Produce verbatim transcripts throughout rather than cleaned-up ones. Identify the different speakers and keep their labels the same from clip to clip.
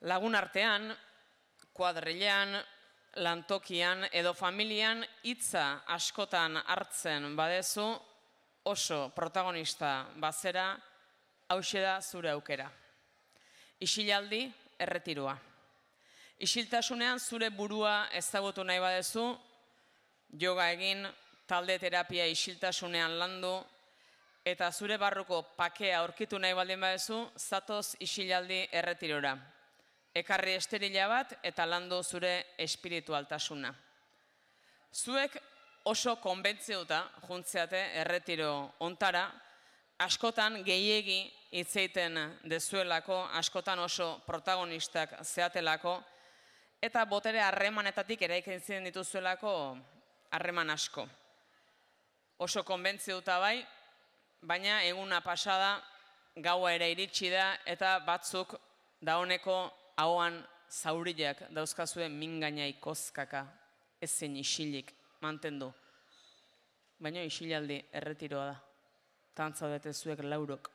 Speaker 1: Lagun artean, kuadrilean, lantokian edo familian hitza askotan hartzen badezu, oso protagonista bazera, hauxe da zure aukera. Isilaldi, erretiroa. Isiltasunean zure burua ezagutu nahi badezu, yoga egin, talde terapia isiltasunean landu, eta zure barruko pakea aurkitu nahi baldin badezu, zatoz isilaldi erretirora. Ekarri esterila bat eta landu zure espiritualtasuna. Zuek oso konbentzeuta juntzeate erretiro ontara, askotan gehiegi hitzeiten dezuelako, askotan oso protagonistak zeatelako, eta botere harremanetatik eraikitzen dituzuelako harreman asko. Oso konbentzeuta bai, baina eguna pasada gaua ere iritsi da eta batzuk dauneko ahoan zauriak dauzkazuen mingainai kozkaka ezin isilik mantendu. Baina isilaldi erretiroa da. Tantza bete zuek laurok.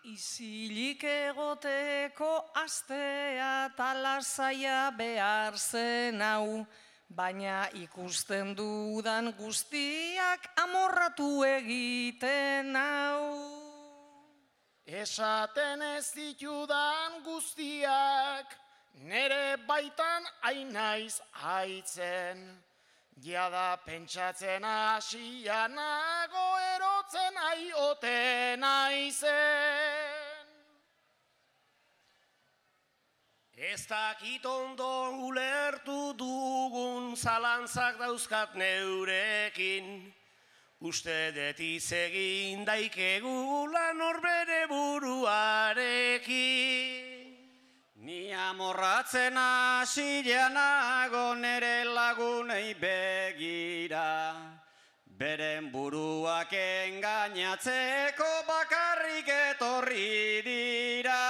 Speaker 2: Isilik egoteko astea talasaia behar zen hau, baina ikusten dudan guztiak amorratu egiten hau.
Speaker 3: Esaten ez ditudan guztiak, nere baitan ainaiz haitzen. Jada pentsatzen hasia nago erotzen aioten aizen.
Speaker 4: Ez dakit ondo ulertu dugun zalantzak dauzkat neurekin. Uste dut izegin daikegula norbere buruarekin. Ni amorratzen hasileanago nere lagunei begira. Beren buruak engainatzeko bakarrik etorri dira.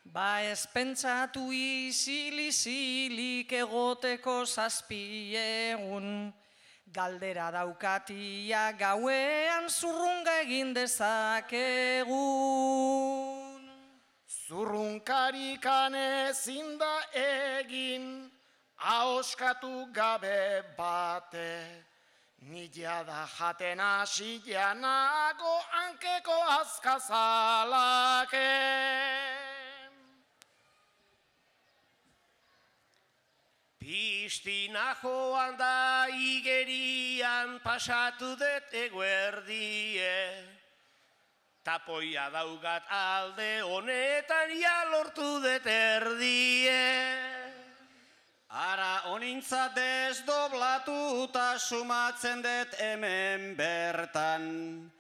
Speaker 2: Ba ez pentsatu isil-isilik egoteko zazpiegun. Galdera daukatia gauean zurrunga egin dezakegun.
Speaker 3: Zurrunkarikan ezin da egin, ahoskatu gabe bate. Nila da jaten hasia nago hankeko azkazalake.
Speaker 4: Pistina joan da igerian pasatu dut eguerdie. Tapoia daugat alde honetan ja lortu dut erdie. Ara honintza desdoblatuta sumatzen dut hemen bertan.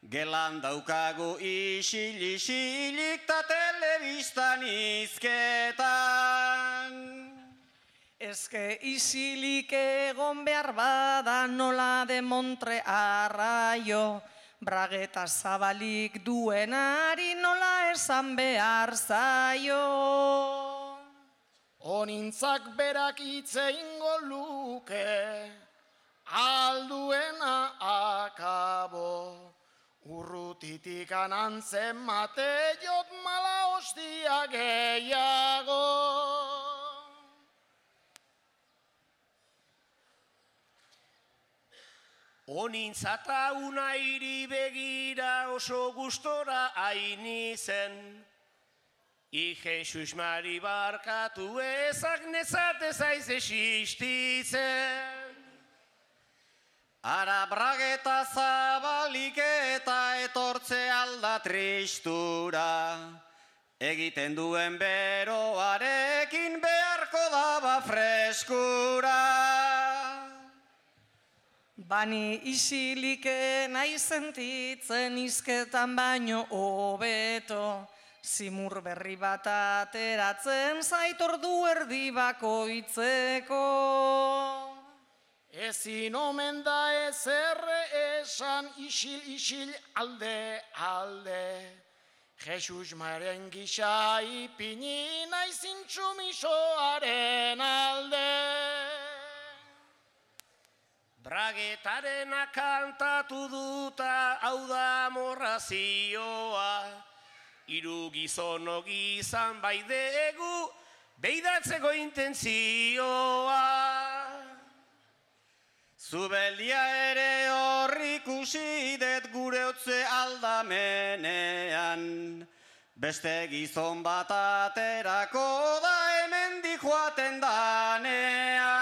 Speaker 4: Gelan daukagu isil-isilik ta telebistan izketan.
Speaker 2: Ezke isilik egon behar bada nola de Montre arraio, brageta zabalik duenari nola esan behar zaio.
Speaker 3: Honintzak berak itzeingo luke, alduena akabo. Urrutitik anantzen mate jot mala hostia gehiago.
Speaker 4: Honintzata unairi begira oso gustora haini zen. I Jesus Mari barkatu ezak nezate zaiz existitzen. Ara brageta zabalik eta etortze alda tristura. Egiten duen beroarekin beharko daba freskura.
Speaker 2: Bani isilik nahi sentitzen izketan baino hobeto, zimur berri bat ateratzen zait ordu erdi bakoitzeko.
Speaker 3: Ezin omen da ezerre esan isil-isil alde alde. Jesus Maren gisa ipini naiz intsumisoaren alde.
Speaker 4: Bragetarena kantatu duta hau da amorrazioa.
Speaker 5: hiru gizono gizan baidegu, beidatzeko intentzioa.
Speaker 4: Zubeldia ere horri ikusi det gure otze aldamenean, beste gizon bat aterako da hemendik joaten danean.